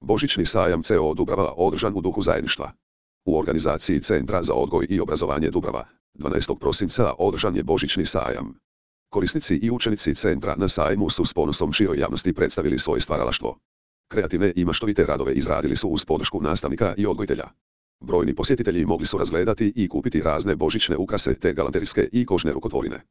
Božićni sajam CO Dubrava održan u duhu zajedništva. U organizaciji Centra za odgoj i obrazovanje Dubrava, 12. prosinca održan je Božićni sajam. Korisnici i učenici centra na sajmu su s ponosom široj javnosti predstavili svoje stvaralaštvo. Kreativne i maštovite radove izradili su uz podršku nastavnika i odgojitelja. Brojni posjetitelji mogli su razgledati i kupiti razne božićne ukrase te galanterijske i kožne rukotvorine.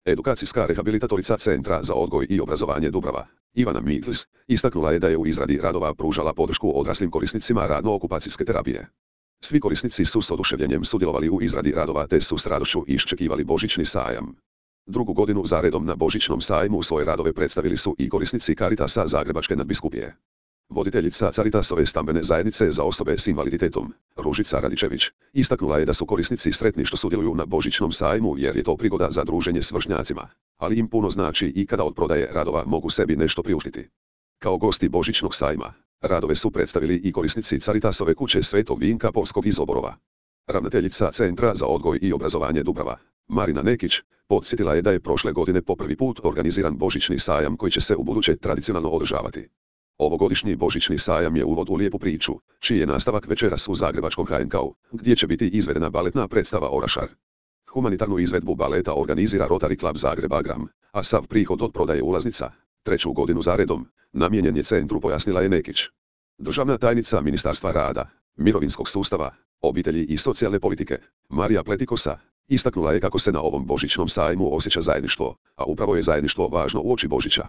Edukacijska rehabilitatorica Centra za odgoj i obrazovanje Dubrava, Ivana Miklis, istaknula je da je u izradi radova pružala podršku odraslim korisnicima radno-okupacijske terapije. Svi korisnici su s oduševljenjem sudjelovali u izradi radova te su s radošću iščekivali Božićni sajam. Drugu godinu zaredom na Božićnom sajmu svoje radove predstavili su i korisnici Caritasa Zagrebačke nadbiskupije. Voditeljica Caritasove stambene zajednice za osobe s invaliditetom, Ružica Radičević, istaknula je da su korisnici sretni što sudjeluju na Božićnom sajmu jer je to prigoda za druženje s vršnjacima, ali im puno znači i kada od prodaje radova mogu sebi nešto priuštiti. Kao gosti Božićnog sajma, radove su predstavili i korisnici Caritasove kuće Svetog Vinka Polskog iz Oborova. Ravnateljica Centra za odgoj i obrazovanje Dubrava, Marina Nekić, podsjetila je da je prošle godine po prvi put organiziran Božićni sajam koji će se ubuduće tradicionalno održavati. Ovogodišnji Božićni sajam je uvod u lijepu priču, čiji je nastavak večeras u zagrebačkom HNK-u, gdje će biti izvedena baletna predstava Orašar. Humanitarnu izvedbu baleta organizira Rotary Club Zagreb Agram, a sav prihod od prodaje ulaznica, treću godinu zaredom, namijenjen je centru, pojasnila je Nekić. Državna tajnica Ministarstva rada, mirovinskog sustava, obitelji i socijalne politike, Marija Pletikosa, istaknula je kako se na ovom Božićnom sajmu osjeća zajedništvo, a upravo je zajedništvo važno uoči Božića.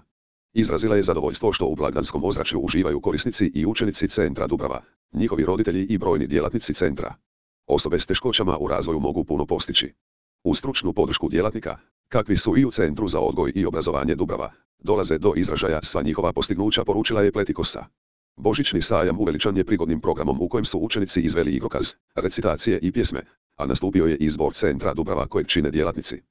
Izrazila je zadovoljstvo što u blagdanskom ozračju uživaju korisnici i učenici Centra Dubrava, njihovi roditelji i brojni djelatnici centra. Osobe s teškoćama u razvoju mogu puno postići. Uz stručnu podršku djelatnika, kakvi su i u Centru za odgoj i obrazovanje Dubrava, dolaze do izražaja sva njihova postignuća, poručila je Pletikosa. Božićni sajam uveličan je prigodnim programom u kojem su učenici izveli igrokaz, recitacije i pjesme, a nastupio je i zbor Centra Dubrava kojeg čine djelatnici.